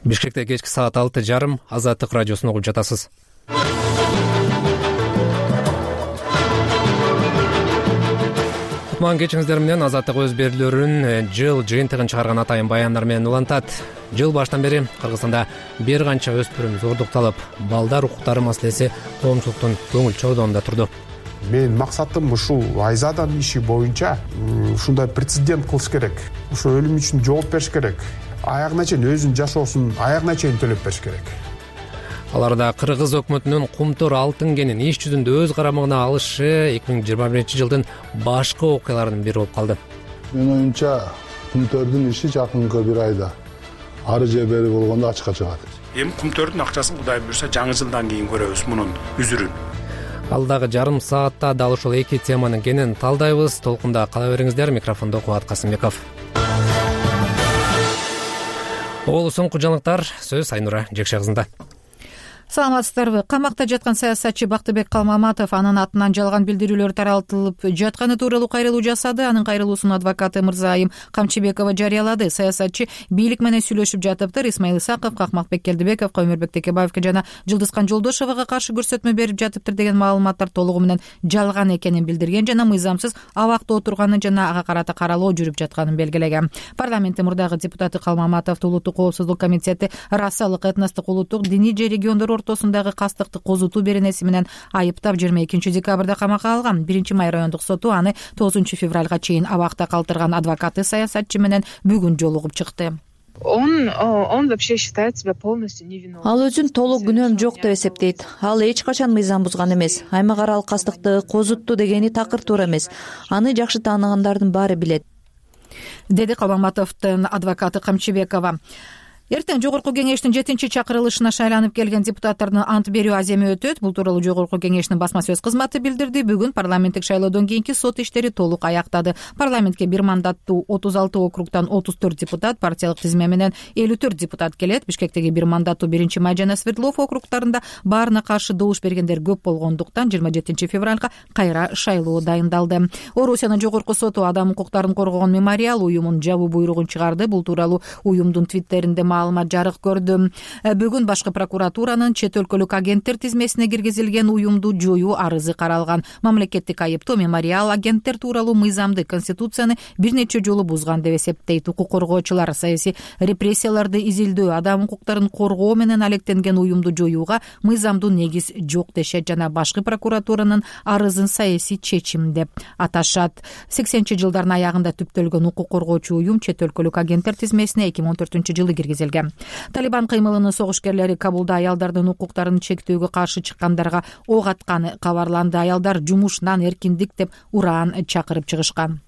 Бишкекте кечки саат 6:30 Азаттык радиосун угуп жатасыз. Кутман кечиңиздер менен Азаттык өз берүүлөрүн жыл жыйынтыгын чыгарган атайын баяндар менен улантат. Жыл баштан бери Кыргызстанда бир канча өспүрүм зордукталып, балдар укуктары маселеси коомчулуктун көңүл чордугунда турду. Менин максатым ушул Айзаданын иши боюнча ушундай прецедент кылыш керек. Ушул өлүм үчүн жооп бериш керек. Аягына чейин өзүнүн жашоосун аягына чейин төлөп бериш керек. Аларда Кыргыз өкмөтүнүн Кумтөр алтын кенин иш жүзүндө өз карамагына алышы 2021-жылдын башкы окуяларынын бири болуп калды. Менин оюмча Кумтөрдүн иши жакынкы бир айда ары же бери болгондо ачыкка чыгат. Эми Кумтөрдүн акчасын Кудай буюрса жаңы жылдан кийин көрөбүз мунун үзүрүн. Алдагы жарым саатта дал ушул эки теманын кенен талдайбыз. Толкунда кала бериңиздер. Микрофондо Кубат Касымбеков. Олусуңку жаңылыктар сөз Айнура Жекше кызында. Саламатсыздарбы? Камакта жаткан саясатчы Бактыбек Калмаматов анын атынан жалган билдирүүлөр таралтылып жатканы тууралуу кайрылуу жасады. Анын кайрылуусун адвокаты Мырзайым Камчыбекова жарыялады. Саясатчы бийлик менен сүйлөшүп жатыптыр. Исмаил Исаковго, Акмакбек Келдибековго, Өмүрбек Текебаевге жана Жылдызкан Жолдошового каршы көрсөтмө берип жатыптыр деген маалыматтар толугу менен жалган экенин билдирген жана мыйзамсыз абакта отурганын жана ага карата каралоо жүрүп жатканын белгилеген. Парламенттин мурдагы депутаты Калмаматовду Улуттук коопсуздук комитети расалык, этностук, улуттук, диний же региондор ортосундагы кастыкты козутуу беренеси менен айыптап 22 декабрда камакка алган. 1-май райондук соту аны 9 февралга чейин абакта калтырган. Адвокаты саясатчы менен бүгүн жолугуп чыкты. Он вообще считает себя полностью невиновным. Ал өзүн толук күнөөм жок деп эсептейт. Ал эч качан мыйзам бузган эмес. Аймак аралык кастыкты козутту дегени такыр туура эмес. Аны жакшы тааныгандардын баары билет, деди Калмаматовдун адвокаты Камчыбекова. Эртең Жогорку кеңештин 7-чакырылышына шайланып келген депутаттардын ант берүү аземи өтөт. Бул тууралуу Жогорку кеңештин басма сөз кызматы билдирди. Бүгүн парламенттик шайлоодон кийинки сот иштери толук аяктады. Парламентке бир мандаттуу 36 округтан 34 депутат, партиялык тизме менен 54 депутат келет. Бишкектеги бир мандаттуу 1-Май жана Свердлов округтарында баарына каршы добуш бергендер көп болгондуктан 27 февралга кайра шайлоо дайындалды. Орусиянын Жогорку соту адам укуктарын коргогон мемориал уюмун жабуу буйругун чыгарды. Бул тууралуу уюмдун твиттеринде маалымат жарык көрдү. Бүгүн башкы прокуратуранын чет өлкөлүк агенттер тизмесине киргизилген уюмду жоюу арызы каралган. Мамлекеттик айыптоо мемориал агенттер тууралуу мыйзамды, конституцияны бир нече жолу бузган деп эсептейт. Укук коргоочулар саясий репрессияларды изилдөө, адам укуктарын коргоо менен алектенген уюмду жоюуга мыйзамдуу негиз жок дешет жана башкы прокуратуранын арызын саясий чечим деп аташат. 80-жылдардын аягында түптөлгөн укук коргоочу уюм чет өлкөлүк агенттер тизмесине 2014-жылы киргизилген. Талибан кыймылынын согушкерлери Кабулда аялдардын укуктарын чектөөгө каршы чыккандарга ок атканы кабарланды. Аялдар жумушунан эркиндик деп ураан чакырып чыгышкан.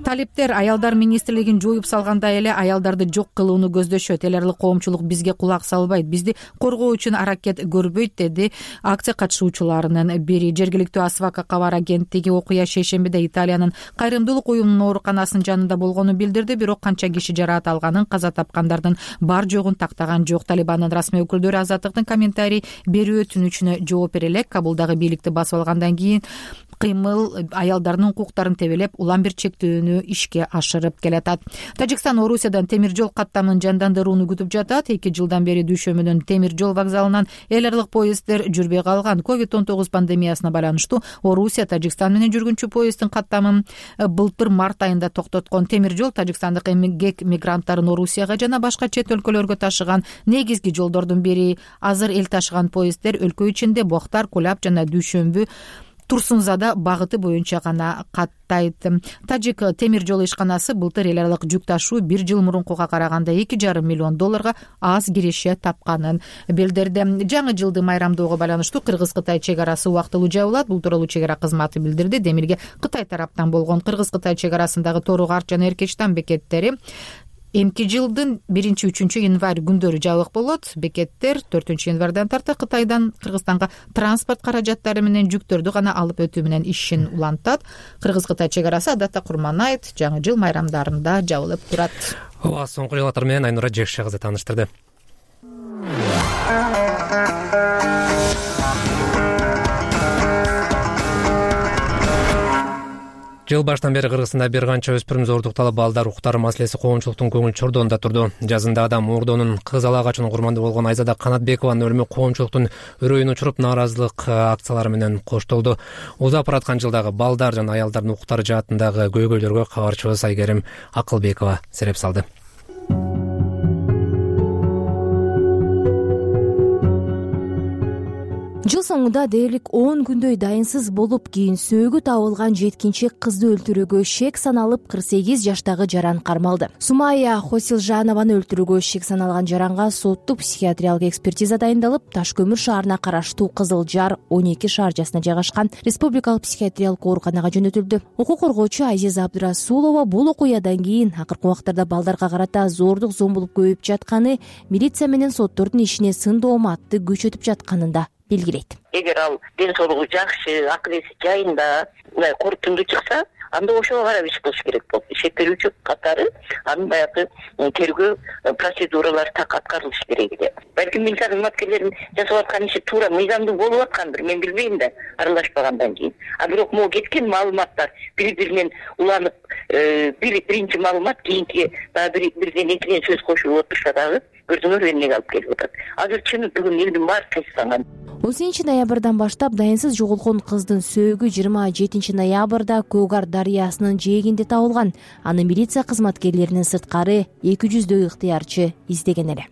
Талиптер аялдар министрлигин жоюп салгандай эле аялдарды жок кылууну көздөшөт. Эл аралык коомчулук бизге кулак салбайт, бизди коргоо үчүн аракет көрбөйт, деди акция катышуучуларынын бири. Жергиликтүү Асвака кабар агенттиги окуя шейшембиде Италиянын кайрымдуулук уюмунун ооруканасынын жанында болгонун билдирди. Бирок канча киши жараат алганын, каза тапкандардын бар жогун тактаган жок. Талибандын расмий өкүлдөрү Азаттыктын комментарий берүү өтүнүчүнө жооп бере элек. Кабулдагы бийликти басып алгандан кийин кыймыл аялдардын укуктарын тебелеп, улам бир чектөөнү ишке ашырып келатат. Тажикстан Орусиядан темир жол каттамын жандандырууну күтүп жатат. 2 жылдан бери Дүйшөмүнүн темир жол вокзалынан эл аралык поезддер жүрбөй калган. COVID-19 пандемиясына байланыштуу Орусия Тажикстан менен жүргүнчү поезддин каттамын былтыр март айында токтоткон. Темир жол тажикстандык эмгек мигранттарын Орусияга жана башка чет өлкөлөргө ташыган негизги жолдордун бири. Азыр эл ташыган поезддер өлкө ичинде Боктар, Кулап жана Дүйшөмбү, Турсунзада багыты боюнча гана каттайт. Тажик темир жол ишканасы былтыр эл аралык жүк ташуу 1 жыл мурункуга караганда $2,5 миллион аз киреше тапканын билдирди. Жаңы жылды майрамдоого байланыштуу Кыргыз-Кытай чек арасы убактылуу жабылат. Бул тууралуу чек ара кызматы билдирди. Демирге Кытай тараптан болгон Кыргыз-Кытай чек арасындагы Тору Арт жана Эркечтан бекеттери эмки жылдын 1-3 январь күндөрү жабык болот. Бекеттер 4 январдан тарта Кытайдан Кыргызстанга транспорт каражаттары менен жүктөрдү гана алып өтүү менен ишин улантат. Кыргыз-Кытай чек арасы адатта Курман айт, жаңы жыл майрамдарында жабылып турат. Соңку жаңылыктар менен Айнура Жекше кызы тааныштырды. Жыл баштан бери Кыргызстанда бир канча өспүрүм зордукталып, балдар укуктары маселеси коомчулуктун көңүл чордоонда турду. Жазында адам мурдонун кыз ала качуунун курмандуу болгон Айзада Канатбекованын өлүмү коомчулуктун үрөйүн учуруп, нааразылык акциялары менен коштолду. Узап бараткан жылдагы балдар жана аялдардын укуктары жаатындагы көйгөйлөргө кабарчыбыз Айгерим Акылбекова сереп салды. Жыл соңунда дээрлик 10 күндөй дайынсыз болуп, кийин сөөгү табылган жеткинчек кызды өлтүрүүгө шек саналып, 48 жаштагы жаран кармалды. Сумая Хосилжанованы өлтүрүүгө шек саналган жаранга соттук психиатриялык экспертиза дайындалып, Таш көмүр шаарына караштуу Кызыл Жар 12 шаарчасына жайгашкан республикалык психиатриялык ооруканага жөнөтүлдү. Укук коргоочу Азиза Абдырасулова бул окуядан кийин акыркы убактарда балдарга карата зордук зомбулук көбөйүп жатканы, милиция менен соттордун ишине сын дооматты күчөтүп жатканын да белгилейт. Эгер ал ден соолугу жакшы, акыл эси жайында, мындай корутундуу чыкса, анда ошого карап иш кылыш керек болот. Шектелүүчү катары анын баягы тергөө процедуралары так аткарылыш керек эле. Балким милиция кызматкерлеринин жасап аткан иши туура мыйзамдуу болуп аткандыр, мен билбейм да, аралашпагандан кийин. А бирок могу кеткен маалыматтар бири-биринен уланып, биринчи маалымат кийинки дагы бирден экиден сөз кошулуп отурса дагы көрдүңөр эмнеге алып келип атат. Азыр чын бүгүн элдин баары кайсыланган. 10 ноябрдан баштап дайынсыз жоголгон кыздын сөөгү 27 ноябрда Көгар дарыясынын жээгинде табылган. Аны милиция кызматкерлеринин сырткары 200дөй ыктыярчы издеген эле.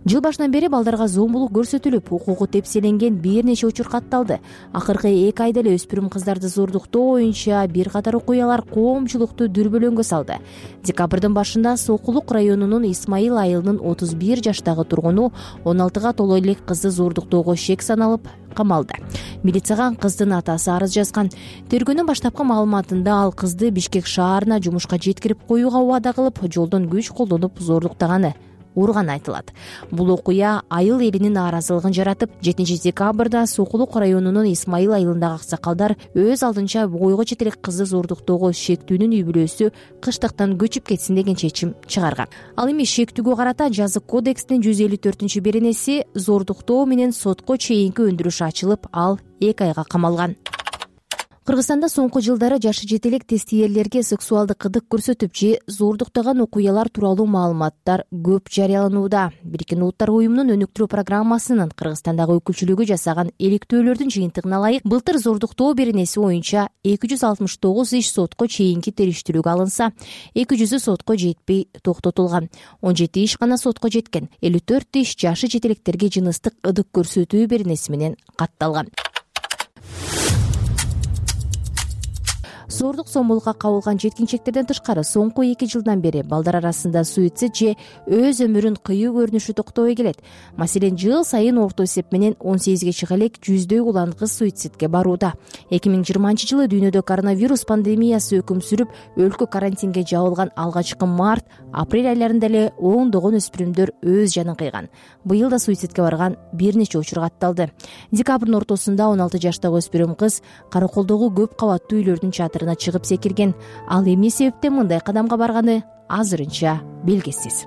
Жыл башынан бери балдарга зомбулук көрсөтүлүп, укугу тепселенген бир нече учур катталды. Акыркы 2 айда эле өспүрүм кыздарды зордуктоо боюнча бир катар окуялар коомчулукту дүрбөлөңгө салды. Декабрдын башында Сокулук районунун Исмайыл айылынын 31 жаштагы тургуну 16га толо элек кызды зордуктоого шек саналып камалды. Милицияга кыздын атасы арыз жазган. Тергөөнүн баштапкы маалыматында ал кызды Бишкек шаарына жумушка жеткирип коюуга убада кылып, жолдон күч колдонуп зордуктаганы урган айтылат. Бул окуя айыл элинин нааразылыгын жаратып, 7 декабрда Сокулук районунун Исмайыл айылындагы аксакалдар өз алдынча бойго жетелек кызды зордуктоого шектүүнүн үй бүлөсү кыштыктан көчүп кетсин деген чечим чыгарган. Ал эми шектүүгө карата жазык кодекстин 154-беренеси зордуктоо менен сотко чейинки өндүрүш ачылып, ал 2 айга камалган. Кыргызстанда соңку жылдары жашы жетелек тестиерлерге сексуалдык кыдык көрсөтүп же зордуктаган окуялар тууралуу маалыматтар көп жарыяланууда. Бириккен Улуттар уюмунун өнүктүрүү программасынын Кыргызстандагы өкүлчүлүгү жасаган иликтөөлөрдүн жыйынтыгына ылайык, былтыр зордуктоо беренеси боюнча 269 иш сотко чейинки териштирүүгө алынса, 200 сотко жетпей токтотулган. 17 иш гана сотко жеткен. 54 иш жашы жетелектерге жыныстык ыдык көрсөтүү беренеси менен катталган. Зордук зомбулукка кабылган жеткинчектерден тышкары соңку 2 жылдан бери балдар арасында суицид же өз өмүрүн кыюу көрүнүшү токтобой келет. Маселен, жыл сайын орто эсеп менен 18ге чыга элек 100дөй улан кыз суицидке барууда. 2020 жылы дүйнөдө коронавирус пандемиясы өкүм сүрүп, өлкө карантинге жабылган алгачкы март, апрель айларында эле ондогон өспүрүмдөр өз жанын кыйган. Быйыл да суицидке барган бир нече учур катталды. Декабрдын ортосунда 16 жаштагы өспүрүм кыз Караколдогу көп кабаттуу үйлөрдүн чатырына чыгып секирген. Ал эмне себептен мындай кадамга барганы азырынча белгисиз.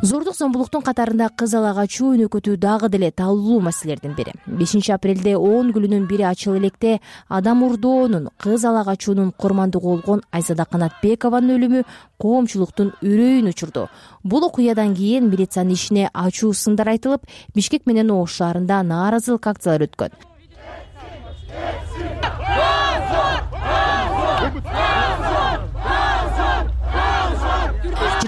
Зордук зомбулуктун катарында кыз ала качуу өнөкөтүү дагы деле талуулуу маселелердин бири. 5 апрелде 10 күлүнүн бири ачыл электе адам урдоонун, кыз ала качуунун курмандыгы болгон Айзада Канатбекованын өлүмү коомчулуктун үрөйүн учурду. Бул окуядан кийин милициянын ишине ачуу сындар айтылып, Бишкек менен Ош шаарында нааразылык акциялары өткөн.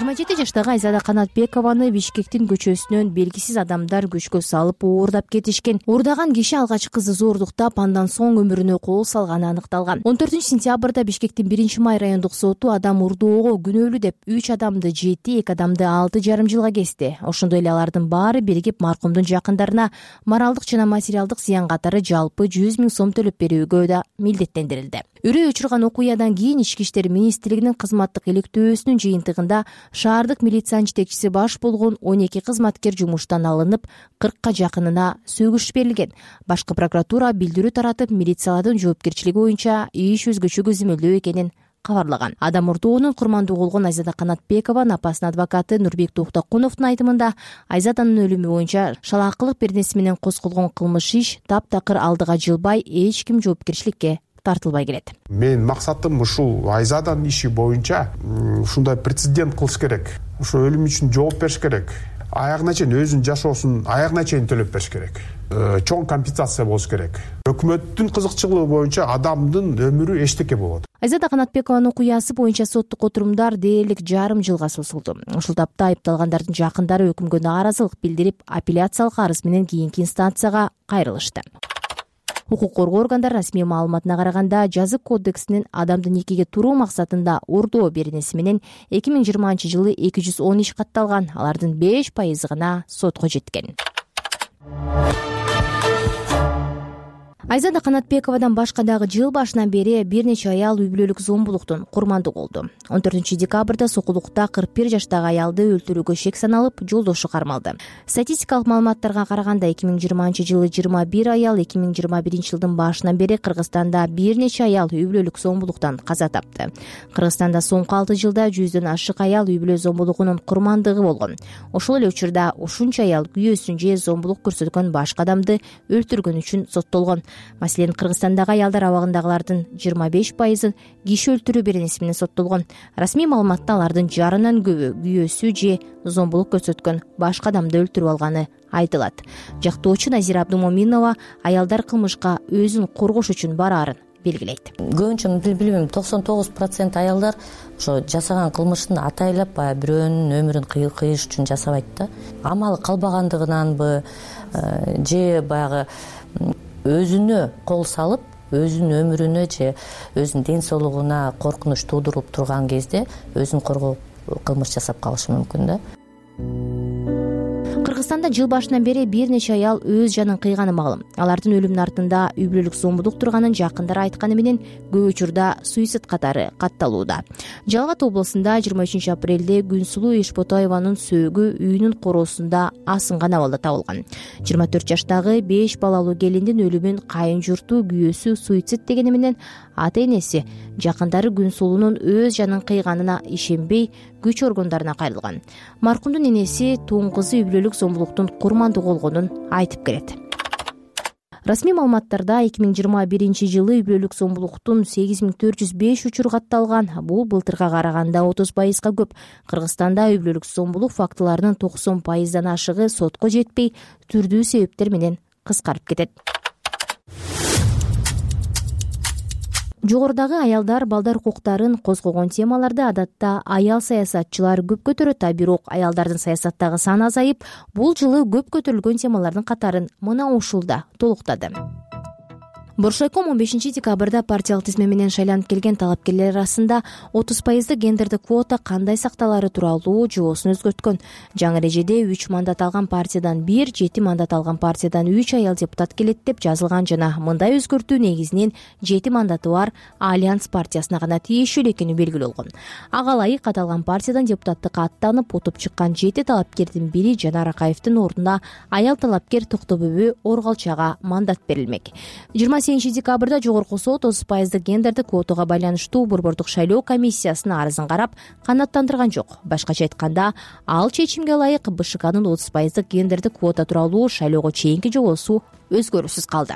27 жаштагы Айзада Канатбекованы Бишкектин көчөсүнөн белгисиз адамдар күчкө салып оордап кетишкен. Оордаган киши алгач кызды зордуктап, андан соң өмүрүнө кол салганы аныкталган. 14 сентябрда Бишкектин 1-май райондук соту адам урдоого күнөөлүү деп 3 адамды 7, 2 адамды 6,5 жылга кести. Ошондой эле алардын баары биригип маркумдун жакындарына моралдык жана материалдык зыян катары жалпы 100 000 сом төлөп берүүгө да милдеттендирилди. Үрөй учурган окуядан кийин Ички иштер министрлигинин кызматтык иликтөөсүнүн жыйынтыгында шаардык милициянын жетекчиси баш болгон 12 кызматкер жумуштан алынып, 40ка жакынына сөгүш берилген. Башкы прокуратура билдирүү таратып, милициялардын жоопкерчилиги боюнча иш өзгөчө көзөмөлдөө экенин кабарлаган. Адам мурдоонун курмандуу болгон Айзада Канатбекованын апасынын адвокаты Нурбек Токтокуновдун айтымында Айзаданын өлүмү боюнча шалаакылык беренеси менен козголгон кылмыш иш таптакыр алдыга жылбай эч ким жоопкерчиликке тартылбай келет. Менин максатым ушул Айзаданын иши боюнча ушундай прецедент кылыш керек. Ошо өлүм үчүн жооп бериш керек. Аягына чейин өзүнүн жашоосун аягына чейин төлөп бериш керек. Чоң компенсация болуш керек. Өкмөттүн кызыкчылыгы боюнча адамдын өмүрү эчтеке болот. Айзада Канатбекованын окуясы боюнча соттук отурумдар дээрлик жарым жылга созулду. Ушул тапта айыпталгандардын жакындары өкүмгө нааразылык билдирип, апелляциялык арыз менен кийинки инстанцияга кайрылышты. Укук коргоо органдары расмий маалыматына караганда, жазык кодексинин адамды никеге туруу максатында урдоо беренеси менен 2020-жылы 210 иш катталган. Алардын 5% гана сотко жеткен. Айзада Канатбековадан башка дагы жыл башынан бери бир нече аял үй бүлөлүк зомбулуктун курмандуу болду. 14-декабрда Сокулукта 41 жаштагы аялды өлтүрүүгө шек саналып, жолдошу кармалды. Статистикалык маалыматтарга караганда 2020-жылы 21 аял, 2021-жылдын башынан бери Кыргызстанда бир нече аял үй бүлөлүк зомбулуктан каза тапты. Кыргызстанда соңку 6 жылда 100дөн ашык аял үй бүлө зомбулугунун курмандыгы болгон. Ошол эле учурда ушунча аял күйөөсүн же зомбулук көрсөткөн башка адамды өлтүргөн үчүн соттолгон. Маселен, Кыргызстандагы аялдар абагындагылардын 25% киши өлтүрүү беренеси менен соттолгон. Расмий маалыматта алардын жарынан көбү күйөөсү же зомбулук көрсөткөн башка адамды өлтүрүп алганы айтылат. Жактоочу Назира Абдумоминова аялдар кылмышка өзүн коргош үчүн бараарын белгилейт. Көбүнчө билбейм, 99% аялдар ошо жасаган кылмышын атайлап баягы бирөөнүн өмүрүн кыйыш үчүн жасабайт да. Амалы калбагандыгынанбы же баягы өзүнө кол салып, өзүнүн өмүрүнө же өзүнүн ден соолугуна коркунуч туудуруп турган кезде өзүн коргоо кылмыш жасап калышы мүмкүн да. Кыргызстанда жыл башынан бери бир нече аял өз жанын кыйганы маалым. Алардын өлүмүнүн артында үй бүлөлүк зомбулук турганын жакындары айтканы менен көп учурда суицид катары катталууда. Жалал Абад облусунда 23 апрелде Күнсулуу Ишботаеванын сөөгү үйүнүн короосунда асынган абалда табылган. 24 жаштагы 5 балалуу келиндин өлүмүн кайын журту күйөөсү суицид дегени менен ата энеси жакындары Күнсулуунун өз жанын кыйганына ишенбей күч органдарына кайрылган. Маркумдун энеси тууң кызы үй бүлөлүк зомбулуктун курмандуу болгонун айтып келет. Расмий маалыматтарда 2021-жылы үй бүлөлүк зомбулуктун 8405 учуру катталган. Бул былтырга караганда 30% көп. Кыргызстанда үй бүлөлүк зомбулук фактыларынын 90%дан ашыгы сотко жетпей, түрдүү себептер менен кыскарып кетет. Жогорудагы аялдар, балдар укуктарын козгогон темаларды адатта аял саясатчылар көп көтөрөт, бирок аялдардын саясаттагы саны азайып, бул жылы көп көтөрүлгөн темалардын катарын мына ушулда толуктады. Боршайком 15-декабрда партиялык тизме менен шайланып келген талапкерлер арасында 30% гендердик квота кандай сакталары тууралуу жоосун өзгөрткөн. Жаңы эрежеде 3 мандат алган партиядан 1, 7 мандат алган партиядан 3 аял депутат келет деп жазылган жана мындай өзгөртүү негизинен 7 мандаты бар Альянс партиясына гана тиешелүү экени белгилүү болгон. Ага ылайык аталган партиядан депутаттыкка аттанып утуп чыккан 7 талапкердин бири Жанар Акаевдин ордуна аял талапкер Токтобөбү Оргалчага мандат берилмек. 28-декабрда жогорку сот 30% гендердик квотага байланыштуу борбордук шайлоо комиссиясынын арызын карап канааттандырган жок. Башкача айтканда, ал чечимге ылайык БШКнын 30% гендердик квота тууралуу шайлоого чейинки жобосу өзгөрүүсүз калды.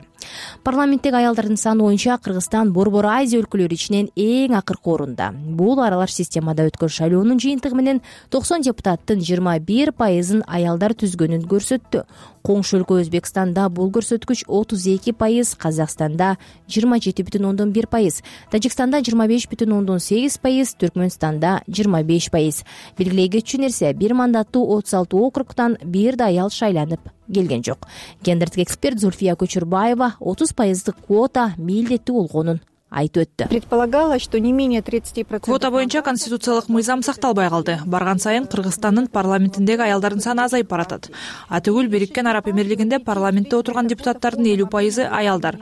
Парламенттеги аялдардын саны боюнча Кыргызстан Борбор Азия өлкөлөрү ичинен эң акыркы орунда. Бул аралаш системада өткөн шайлоонун жыйынтыгы менен 90 депутаттын 21%-ын аялдар түзгөнүн көрсөттү. Коңшу өлкө Өзбекстанда бул көрсөткүч 32%, Казакстанда 27,1%, Тажикстанда 25,8%, Түркмөнстанда 25%. Белгилей кетчү нерсе, бир мандаттуу 36 округтан бир да аял шайланып келген жок. Гендердик эксперт Зульфия Көчүрбаева 30% квота милдеттүү болгонун айтып өттү. Предполагалось, что не менее 30%. Квота боюнча конституциялык мыйзам сакталбай калды. Барган сайын Кыргызстандын парламентиндеги аялдардын саны азайып баратат. Атүгүл Бириккен Араб Эмирлигинде парламентте отурган депутаттардын 50% аялдар.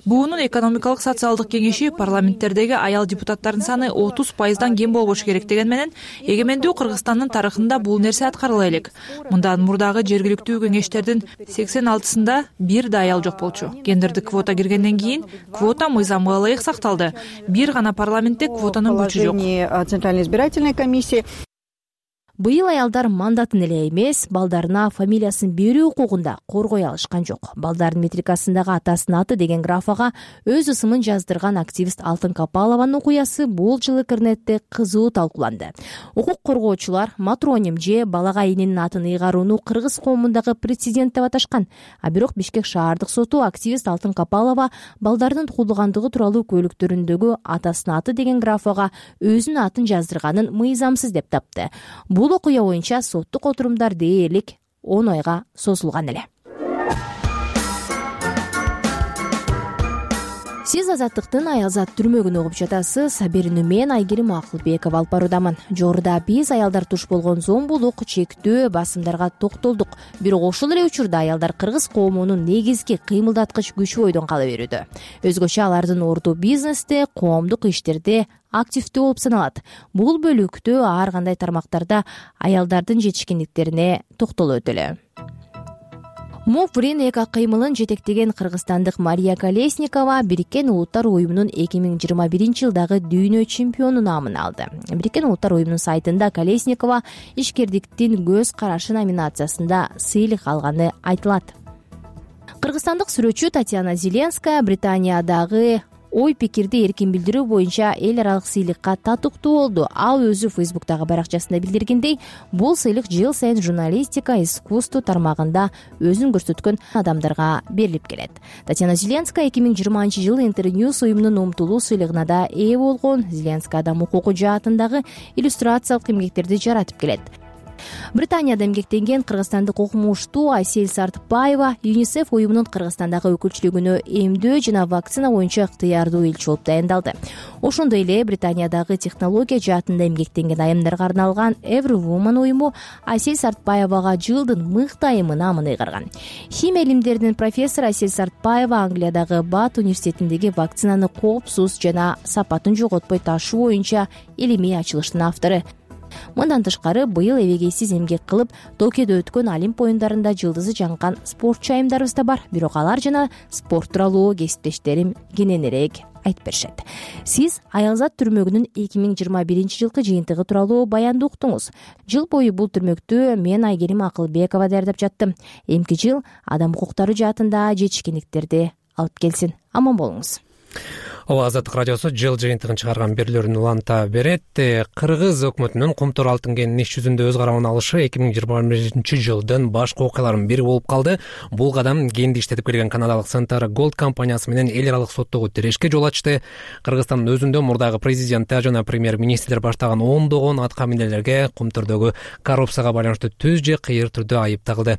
БУнун экономикалык социалдык кеңеши парламенттердеги аял депутаттардын саны 30%дан кем болбошу керек деген менен эгемендүү Кыргызстандын тарыхында бул нерсе аткарыла элек. Мындан мурдагы жергиликтүү кеңештердин 86-сында бир да аял жок болчу. Гендердик квота киргенден кийин квота мыйзамга ылайык сакталды. Бир гана парламентте квотанын күчү жок. Центральной избирательной комиссии Быйыл аялдар мандатын эле эмес, балдарына фамилиясын берүү укугун да коргой алышкан жок. Балдардын метрикасындагы атасынын аты деген графага өз ысымын жаздырган активист Алтын Капалованын окуясы бул жыл интернетте кызуу талкууланды. Укук коргоочулар матроним же балага эненин атын ыйгарууну кыргыз коомундагы прецедент деп аташкан. А бирок Бишкек шаардык соту активист Алтын Капалова балдардын туулгандыгы тууралуу көлүктөрүндөгү атасынын аты деген графага өзүнүн атын жаздырганын мыйзамсыз деп тапты. Бул окуя боюнча соттук отурумдар дээрлик 10 айга созулган эле. Сиз Азаттыктын Аялзат түрмөгүн угуп жатасыз. Берүүнү мен Айгерим Акылбекова алып баруудамын. Жогоруда биз аялдар туш болгон зомбулук, чектөө, басымдарга токтолдук. Бирок ошол эле учурда аялдар кыргыз коомунун негизги кыймылдаткыч күчү бойдон кала берүүдө. Өзгөчө алардын орду бизнесте, коомдук иштерде активдүү болуп саналат. Бул бөлүктө ар кандай тармактарда аялдардын жетишкендиктерине токтолуп өтөлү. Муфрин эки кыймылын жетектеген кыргызстандык Мария Колесникова Бириккен Улуттар уюмунун 2021-жылдагы дүйнө чемпиону наамын алды. Бириккен Улуттар уюмунун сайтында Колесникова ишкердиктин көз карашы номинациясында сыйлык алганы айтылат. Кыргызстандык сүрөтчү Татьяна Зеленская Британиядагы ой пикирди эркин билдирүү боюнча эл аралык сыйлыкка татыктуу болду. Ал өзү Фейсбуктагы баракчасында билдиргендей, бул сыйлык жыл сайын журналистика, искусство тармагында өзүн көрсөткөн адамдарга берилип келет. Татьяна Зеленская 2020-жылы Интерньюз уюмунун умтулуу сыйлыгына да ээ болгон. Зеленская адам укугу жаатындагы иллюстрациялык эмгектерди жаратып келет. Британияда эмгектенген кыргызстандык окумуштуу Айсель Сартбаева ЮНИСЕФ уюмунун Кыргызстандагы өкүлчүлүгүнө эмдөө жана вакцина боюнча ыктыярдуу элчи болуп дайындалды. Ошондой эле Британиядагы технология жаатында эмгектенген айымдарга арналган Everwoman уюму Айсель Сартбаевага жылдын мыкты айымы наамын ыйгарган. Химия илимдеринин профессору Айсель Сартбаева Англиядагы Бат университетиндеги вакцинаны коопсуз жана сапатын жоготпой ташуу боюнча илимий ачылыштын автору. Мындан тышкары быйыл эбегейсиз эмгек кылып Токиодо өткөн Олимп оюндарында жылдызы жанган спортчу айымдарыбыз да бар. Бирок алар жана спорт тууралуу кесиптештерим кененирээк айтып беришет. Сиз Аялзат түрмөгүнүн 2021-жылкы жыйынтыгы тууралуу баянды уктуңуз. Жыл бою бул түрмөктү мен Айгерим Акылбекова даярдап жаттым. Эмки жыл адам укуктары жаатында жетишкендиктерди алып келсин. Аман болуңуз. Азаттык радиосу жыл жыйынтыгын чыгарган берүүлөрүн уланта берет. Кыргыз өкмөтүнүн Кумтур алтын кенинин иш жүзүндө өз карабына алышы 2021-жылдын башкы окуяларынын бири болуп калды. Бул кадам кенди иштетип келген канадалык Centara Gold компаниясы менен эл аралык соттогу тирешке жол ачты. Кыргызстандын өзүндө мурдагы президенттер жана премьер-министрлер баштаган ондогон атка минерлерге Кумтурдогу коррупцияга байланыштуу түз же кыйыр түрдө айып тагылды.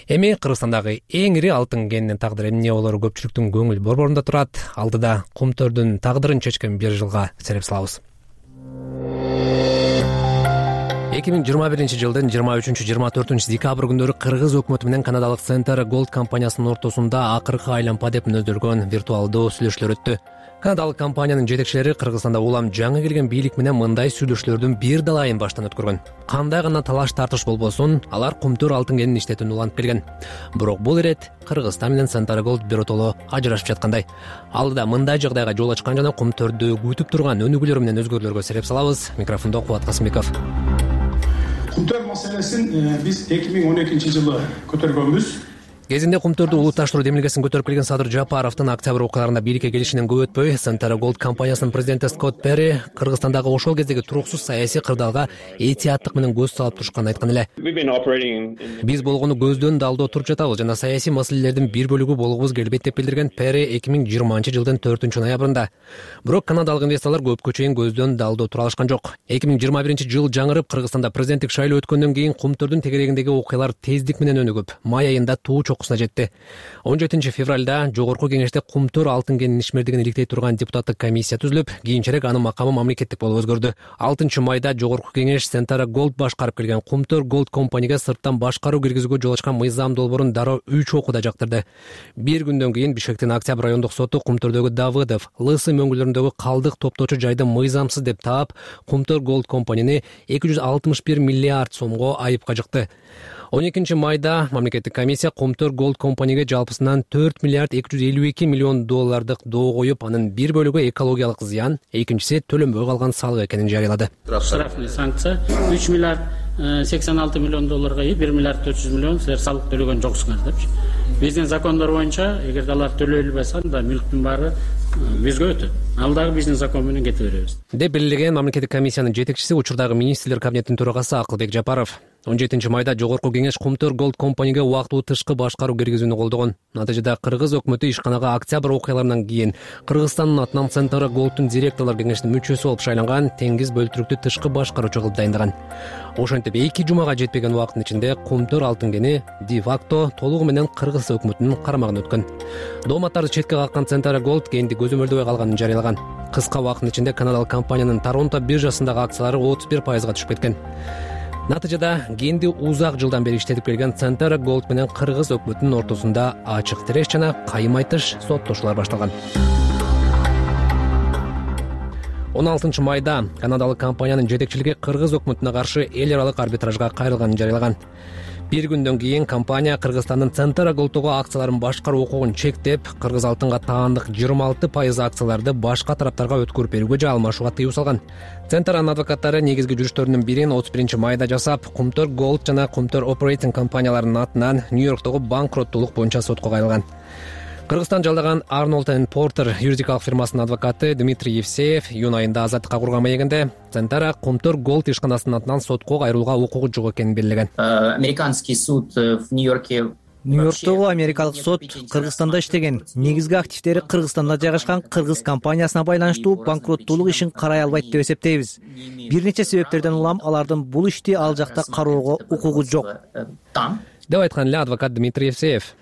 Эми Кыргызстандагы эң ири алтын кенинин тагдыры эмне болору көпчүлүктүн көңүл борборунда турат. Алдыда Кумтурдун тагдырын чечкен бир жылга сереп салабыз. 2021-жылдын 23-24 декабрь күндөрү Кыргыз өкмөтү менен канадалык Centara Gold компаниясынын ортосунда акыркы айлампа деп мүнөздөлгөн виртуалдуу сүйлөшүүлөр өттү. Канадалык компаниянын жетекчилери Кыргызстанда улам жаңы келген бийлик менен мындай сүйлөшүүлөрдүн бир дала айын баштан өткөргөн. Кандай гана талаш тартыш болбосун, алар Кумтур алтын кенин иштетүүнү улантып келген. Бирок бул ирет Кыргызстан менен Centara Gold биротоло ажырашып жаткандай. Алдыда мындай жагдайга жол ачкан жана Кумтурду күтүп турган өнүгүүлөр менен өзгөрүүлөргө сереп салабыз. Микрофондо Кубат Касымбеков. Кумтур маселесин биз 2012-жылы көтөргөнбүз. Кезинде Кумтурду улутташтыруу демилгесин көтөрүп келген Садыр Жапаровдун октябрь окуяларында бийликке келишинен көп өтпөй, Centara Gold компаниясынын президенти Скотт Перри Кыргызстандагы ошол кездеги туруксуз саясий кырдаалга этияттык менен көз салып турушканын айткан эле. Биз болгону көздөн далдоо туруп жатабыз жана саясий маселелердин бир бөлүгү болгубуз келбейт деп билдирген Перри 2020-жылдын 4-ноябрында. Бирок канадалык инвесторлор көпкө чейин көздөн далдоо тура алышкан жок. 2021-жыл жаңырып, Кыргызстанда президенттик шайлоо өткөндөн кийин Кумтурдун тегерегиндеги окуялар тездик менен өнүгүп, май айында туу жетти. 17-февралда жогорку кеңеште Кумтур алтын кенинин ишмердигин иликтей турган депутаттык комиссия түзүлүп, кийинчерээк анын макамы мамлекеттик болуп өзгөрдү. 6-майда жогорку кеңеш Centara Gold башкарып келген Кумтур Gold компанияга сырттан башкаруу киргизүүгө жол ачкан мыйзам долбоорун дароо 3 окууда жактырды. Bir күндөн кийин Бишкектин Октябрь райондук соту Кумтурдогу Давыдов, Лысы мөңгүлөрүндөгү калдык топтоочу жайды мыйзамсыз деп таап, Кумтур Gold компанияны 261 миллиард сомго айыпка жыкты. 12 майда мамлекеттик комиссия Комтөр Голд компанияга жалпысынан 4 миллиард 252 миллион доллардык доо коюп, анын бир бөлүгү экологиялык зыян, экинчиси төлөнбөй калган салык экенин жарыялады. Штрафный санкция 3 миллиард 86 миллион долларга 1 миллиард 400 миллион силер салык төлөгөн жоксуңар депчи. Биздин закондор боюнча эгерде алар төлөйлбөйсө анда мүлктүн баары бизге өтөт. Ал дагы биздин закон менен кете беребиз. Деп белгилеген мамлекеттик комиссиянын жетекчиси, учурдагы министрлер кабинетинин төрагасы Акылбек Жапаров. 17 майда жогорку кеңеш Комтөр Голд компанияга убактылуу тышкы башкаруу киргизүүнү колдогон. Натыйжада кыргыз өкмөтү ишканага октябрь окуяларынан кийин Кыргызстандын атынан Центара Голдтун директорлор кеңешинин мүчөсү болуп шайланган Теңиз бөлтүрүктү тышкы башкаруучу кылып дайындаган. Ошентип 2 жумага жетпеген убакыттын ичинде Комтөр алтын кени де факто толугу менен Кыргыз өкмөтүнүн карамагына өткөн. Дооматтарды четке каккан Центара Голд кенди көзөмөлдөбөй калганын жарыялаган. Кыска убакыттын ичинде канадалык компаниянын Торонто биржасындагы акциялары 31%га түшүп кеткен. Натыйжада кенди узак жылдан бери иштетип келген Центара Голд менен Кыргыз өкмөтүнүн ортосунда ачык тиреш жана кайым айтыш соттошуулар башталган. 16 майда канадалык компаниянын жетекчилиги Кыргыз өкмөтүнө каршы эл аралык арбитражга кайрылганын жарыялаган. Bir күндөн кийин компания Кыргызстандын Центара Голдтогу акцияларын башкаруу укугун чектеп, Кыргыз алтынга таандык 26% акцияларды башка тараптарга өткөрүп берүүгө же алмашууга тыюу салган. Центаранын адвокаттары негизги жүрүштөрүнүн бирин 31 майда жасап, Комтөр Голд жана Комтөр Operating компанияларынын атынан Нью-Йорктогу банкроттуулук боюнча сотко кайрылган. Кыргызстан жалдаган Arnold & Porter юридикалык фирмасынын адвокаты Дмитрий Евсеев июнь айында азаттыкка курган маегинде Центара Комтөр Голд ишканасынын атынан сотко кайрылууга укугу жок экенин белгилеген. Американский суд в Нью-Йорке Нью-Йорктогу америкалык сот Кыргызстанда иштеген, негизги активдери Кыргызстанда жайгашкан кыргыз компаниясына байланыштуу банкроттуулук ишин карай албайт деп эсептейбиз. Бир нече себептерден улам алардын бул ишти ал жакта кароого укугу жок деп айткан эле адвокат Дмитрий Евсеев.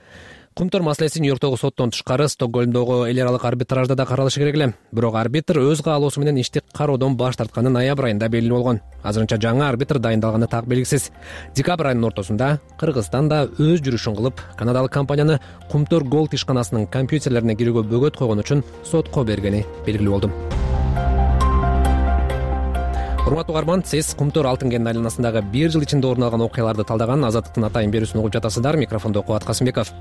Комтөр маселеси Нью-Йорктогу соттон тышкары Стокгольмдогу эл аралык арбитражда да каралышы керек эле. Бирок арбитр өз каалоосу менен ишти кароодон баш тартканы ноябрь айында белгилүү болгон. Азырынча жаңы арбитр дайындалганы так белгисиз. Декабрь айынын ортосунда Кыргызстан да өз жүрүшүн кылып, канадалык компанияны Комтөр Голд ишканасынын компьютерлерине кирүүгө бөгөт койгон үчүн сотко бергени белгилүү болду. Урматтуу угарман, сиз Комтөр алтын кенинин айланасындагы 1 жыл ичинде орун алган окуяларды талдаган Азаттыктын атайын берүүсүн угуп жатасыздар. Микрофондо Кубат Касымбеков.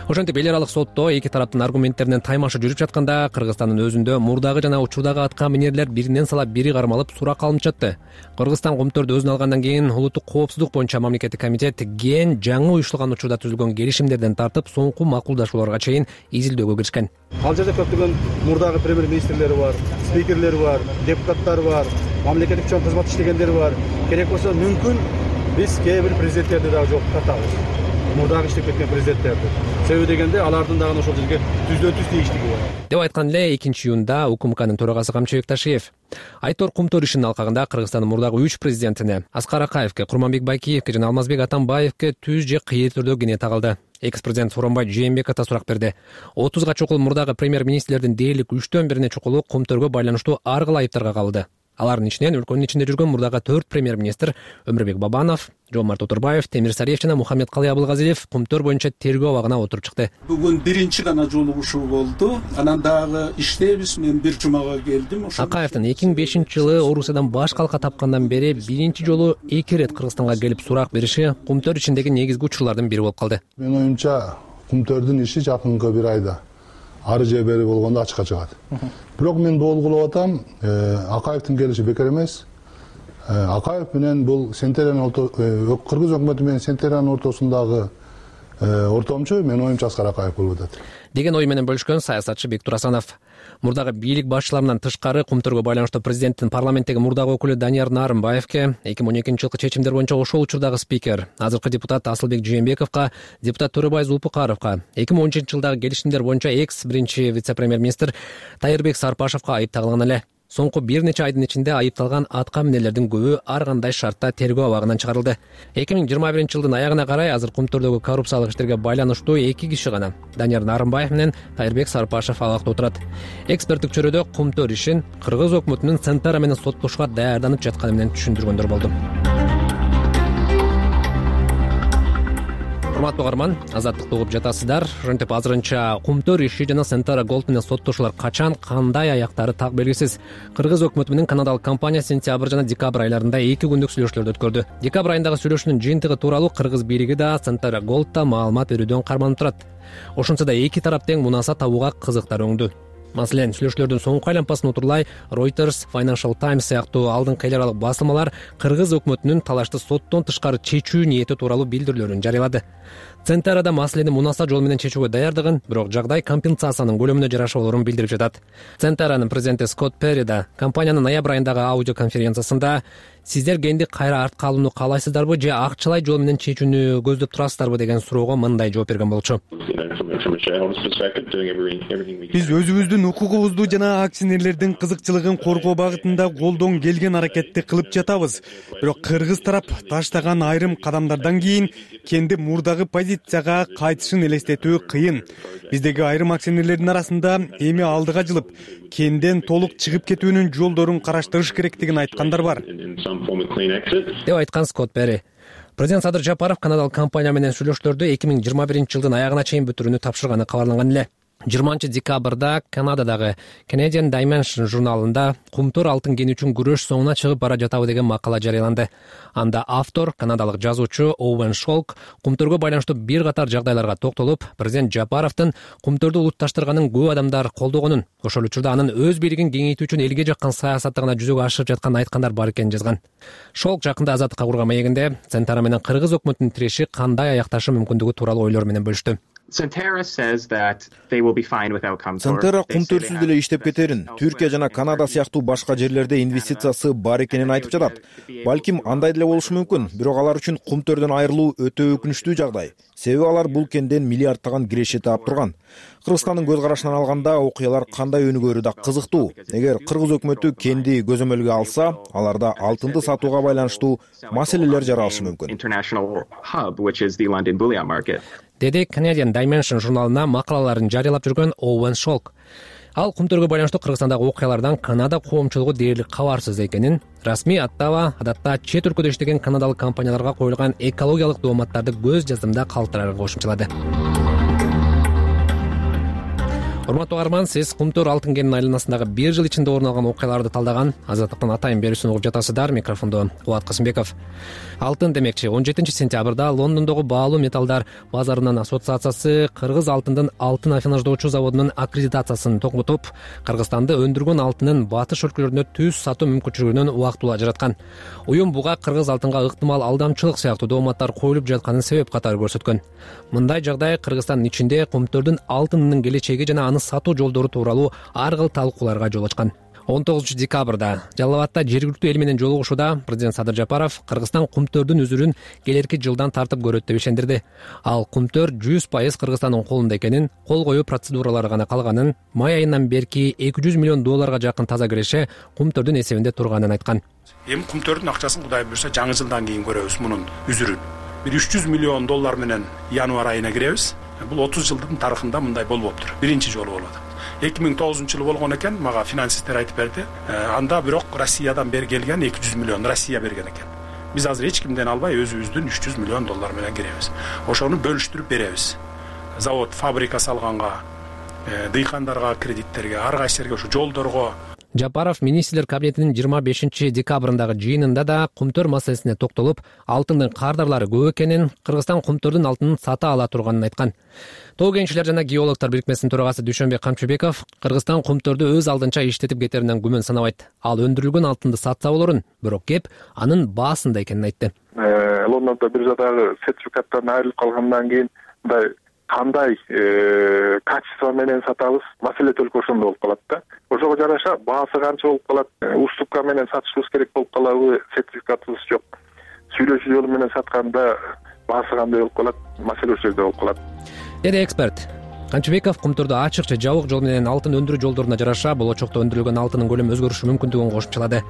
Ошентип эл аралык сотто эки тараптын аргументтеринен таймашы жүрүп жатканда Кыргызстандын өзүндө мурдагы жана учурдагы атка минерлер биринен салап бири кармалып сурак алынып жатты. Кыргызстан Комтөрдү өзүнө алгандан кийин улуттук коопсуздук боюнча мамлекеттик комитет ген жаңы уюштурулган учурда түзүлгөн келишимдерден тартып соңку макулдашууларга чейин изилдөөгө киришкен. Ал жерде көптөгөн мурдагы премьер-министрлери бар, спикерлери бар, депутаттар бар, мамлекеттик чоң кызмат иштегендери бар. Керек болсо мүмкүн биз кээ бир президенттерди дагы жоопко тартабыз. Мурдагы иштеп кеткен президенттерди. Себеби дегенде алардын дагы ошол жерге түздөн-түз тийиштиги бар. Деп айткан эле 2-июнда УКМКнын төрагасы Камчыбек Ташиев. Айтор Комтөр ишинин алкагында Кыргызстандын мурдагы 3 президентине Аскар Акаевке, Курманбек Байкиевке жана Алмазбек Атамбаевке түз же кыйыр түрдө кене тагылды. Экс-президент Сооронбай Жээнбеков да сурак берди. 30га чукул мурдагы премьер-министрлердин дээрлик 3төн бирине чукулу Комтөргө байланыштуу ар кыл айыптарга кабылды. Алардын ичинен өлкөнүн ичинде жүргөн мурдагы 4 премьер-министр Өмүрбек Бабанов, Жомарт Отурбаев, Темир Сариев жана Мухаммед Калый Абылгазиев Комтөр боюнча тергөө абагына отуруп чыкты. Бүгүн биринчи гана жолугушуу болду. Анан дагы иштейбиз. Мен бир жумага келдим. Акаевдин 2005-жылы Орусиядан баш калка тапкандан бери биринчи жолу 2 ирет Кыргызстанга келип сурак бериши Комтөр ичиндеги негизги учурлардын бири болуп калды. Менин оюмча Комтөрдүн иши жакынкы бир айда ары же бери болгондо ачыкка чыгат. Бирок мен болгулап атам, Акаевдин келиши бекер эмес. Акаев менен бул Кыргыз өкмөтү менен Сентерянын ортосундагы ортомчу менин оюмча Аскар Акаев болуп атат деген ой менен бөлүшкөн саясатчы Бектур Асанов. Мурдагы бийлик башчыларынан тышкары Комтөргө байланыштуу президенттин парламенттеги мурдагы өкүлү Данияр Нарымбаевке, 2012-жылкы чечимдер боюнча ошол учурдагы спикер, азыркы депутат Асылбек Жээнбековго, депутат Төрөбай Зулпукаровго, 2010-жылдагы келишимдер боюнча экс биринчи вице-премьер-министр Тайырбек Сарпашевго айып тагылган эле. Соңку бир нече айдын ичинде айыпталган атка минерлердин көбү ар кандай шартта тергөө абагынан чыгарылды. 2021-жылдын аягына карай азыр Комтөрдөгү коррупциялык иштерге байланыштуу 2 киши гана, Данияр Нарымбаев менен Тайырбек Сарпашев абакта отурат. Эксперттик чөйрөдө Комтөр ишин Кыргыз өкмөтүнүн Центара менен соттошууга даярданып жатканы менен түшүндүргөндөр болду. урматтуу угарман, азаттыкты угуп жатасыздар. Ошентип азырынча Кумтөр иши жана Centara Gold менен соттошуулар качан, кандай аяктары так белгисиз. Кыргыз өкмөтү менен канадалык компания сентябрь жана декабрь айларында 2 күндүк сүйлөшүүлөрдү өткөрдү. Декабрь айындагы сүйлөшүүнүн жыйынтыгы тууралуу кыргыз бийлиги да Centara Gold да маалымат берүүдөн карманып турат. Ошентсе да эки тарап тең мунаса табууга кызыктар өңдү. Маселен, сүйлөшүүлөрдүн соңку айланпасын утурлай Reuters, Financial Times сыяктуу алдыңкы эл аралык басылмалар кыргыз өкмөтүнүн талашты соттон тышкары чечүү ниети тууралуу билдирүүлөрүн жарыялады. Centara да маселени мунаса жол менен чечүүгө даярдыгын, бирок жагдай компенсациянын көлөмүнө жараша болорун билдирип жатат. Centara'нын президенти Скотт Перри да компаниянын ноябрь айындагы аудио конференциясында сиздер кенди кайра артка алууну каалайсыздарбы же акчалай жол менен чечүүнү көздөп турасыздарбы деген суроого мындай жооп берген болчу. Биз өзүбүздүн укугубузду жана акционерлердин кызыкчылыгын коргоо багытында колдон келген аракетти кылып жатабыз. Бирок кыргыз тарап таштаган айрым кадамдардан кийин кенди мурдагы позицияга кайтышын элестетүү кыйын. Биздеги айрым акционерлердин арасында эми алдыга жылып, кенден толук чыгып кетүүнүн жолдорун караштырыш керектигин айткандар бар, деп айткан Скотт Перри. Президент Садыр Жапаров канадалык компания менен сүйлөшүүлөрдү 2021-жылдын аягына чейин бүтүрүүнү тапшырганы кабарланган эле. 20-декабрда Канададагы Canadian Dimension журналында Кумтөр алтын кени үчүн күрөш соңуна чыгып бара жатабы деген макала жарыяланды. Анда автор, канадалык жазуучу Оуэн Шолк Кумтөргө байланыштуу бир катар жагдайларга токтолуп, президент Жапаровдун Кумтөрдү улутташтырганын көп адамдар колдогонун, ошол учурда анын өз бийлигин кеңейтүү үчүн элге жаккан саясаты гана жүзөгө ашырып жаткан айткандар бар экенин жазган. Шолк жакында Азаттыкка курган маегинде Centara менен кыргыз өкмөтүнүн тиреши кандай аякташы мүмкүндүгү тууралуу ойлор менен бөлүштү. Centara Кумтөрсүз деле иштеп кетерин, Түркия жана Канада сыяктуу башка жерлерде инвестициясы бар экенин айтып жатат. Балким андай деле болушу мүмкүн, бирок алар үчүн Кумтөрдөн айрылуу өтө өкүнүчтүү жагдай. Себеби алар бул кенден миллиардтаган киреше таап турган. Кыргызстандын көз карашынан алганда окуялар кандай өнүгөрү да кызыктуу. Эгер кыргыз өкмөтү кенди көзөмөлгө алса, аларда алтынды сатууга байланыштуу маселелер жаралышы мүмкүн, деди Canadian Dimension журналына макалаларын жарыялап жүргөн Оуэн Шолк. Ал Кумтөргө байланыштуу Кыргызстандагы окуялардан Канада коомчулугу дээрлик кабарсыз экенин, расмий аттаба адатта чет өлкөдө иштеген канадалык компанияларга коюлган экологиялык дооматтарды көз жаздымда калтырарга кошумчалады. Урматтуу угарман, сиз Кумтөр алтын кенинин айланасындагы 1 жыл ичинде орун алган окуяларды талдаган Азаттыктын атайын берүүсүн угуп жатасыздар. Микрофондо Кубат Касымбеков. Алтын демекчи 17-сентябрда Лондондогу баалуу металлдар базарынын ассоциациясы кыргыз алтындын алтын афинаждоочу заводунун аккредитациясын токтотуп, Кыргызстанды өндүргөн алтынын батыш өлкөлөрүнө түз сатуу мүмкүнчүлүгүнөн убактылуу ажыраткан. Уюм буга кыргыз алтынга ыктымал алдамчылык сыяктуу дооматтар коюлуп жатканын себеп катары көрсөткөн. Мындай жагдай Кыргызстандын ичинде Кумтөрдүн алтынынын келечеги жана аны сатуу жолдору тууралуу ар кыл талкууларга жол ачкан. 19-декабрда Жалал Абадта жергиликтүү эл менен жолугушууда президент Садыр Жапаров Кыргызстан Кумтөрдүн үзүрүн келерки жылдан тартып көрөт деп ишендирди. Ал Кумтөр 100% Кыргызстандын колунда экенин, кол коюу процедуралары гана калганын, май айынан берки $200 миллион жакын таза киреше Кумтөрдүн эсебинде турганын айткан. Эми Кумтөрдүн акчасын Кудай буйрса жаңы жылдан кийин көрөбүз мунун үзүрүн. Bir $300 миллион менен январь айына киребиз. Бул 30 жылдын тарыхында мындай болбоптур. Биринчи жолу болот. 2009-жылы болгон экен, мага финансисттер айтып берди. Анда бирок Россиядан бери келген $200 миллион Россия берген экен. Биз азыр эч кимден албай өзүбүздүн $300 миллион менен киребиз. Ошону бөлүштүрүп беребиз. Завод, фабрика салганга, дыйкандарга, кредиттерге, ар кайсыларга, ошо жолдорго. Жапаров министрлер кабинетинин 25-декабрындагы жыйынында да Кумтөр маселесине токтолуп, алтындын кардарлары көп экенин, Кыргызстан Кумтөрдүн алтынын сата ала турганын айткан. Тоо кенчилер жана геологтор бирикмесинин төрагасы Дүйшөнбек Камчыбеков Кыргызстан Кумтөрдү өз алдынча иштетип кетеринен күмөн санабайт. Ал өндүрүлгөн алтынды сатса болорун, бирок кеп анын баасында экенин айтты. Лондондо биржадагы сертификаттан айрылып калгандан кийин мындай кандай качество менен сатабыз, маселе только ошондо болуп калат да. Ошого жараша баасы канча болуп калат, уступка менен сатышыбыз керек болуп калабы, сертификатыбыз жок. Сүйлөшүү жолу менен сатканда баасы кандай болуп калат, маселе ошол жерде болуп калат, деди эксперт. Камчыбеков Кумтөрдө ачык же жабык жол менен алтын өндүрүү жолдоруна жараша болочокто өндүрүлгөн алтынын көлөмү өзгөрүшү мүмкүндүгүн кошумчалады.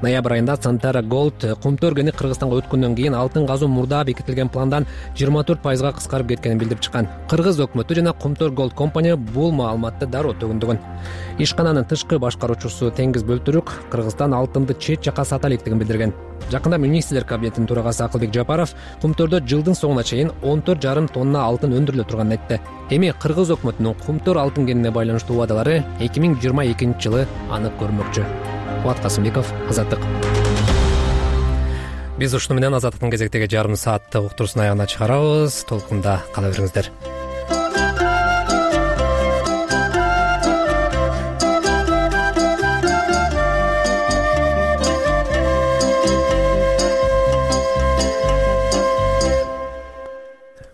Ноябрь айында Centara Gold Кумтөр кени Кыргызстанга өткөндөн кийин алтын казуу мурда бекитилген пландан 24% кыскарып кеткенин билдирип чыккан. Кыргыз өкмөтү жана Кумтөр Gold компания бул маалыматты дароо төгүндөгөн. Ишкананын тышкы башкаруучусу Теңиз Бөлтүрүк Кыргызстан алтынды чет жака сата электигин билдирген. Жакында министрлер кабинетинин төрагасы Акылбек Жапаров кумтөрдө жылдын соңуна чейин 14,5 тонна алтын өндүрүлө турганын айтты. Эми Кыргыз өкмөтүнүн кумтөр алтын кенине байланыштуу убадалары 2022 жылы анык көрүнмөкчү. Кубат Касымбеков, Азаттык. Биз ушуну менен Азаттыктын кезектеги жарым сааттык уктуруусун аягына чыгарабыз. Толкунда кала бериңиздер.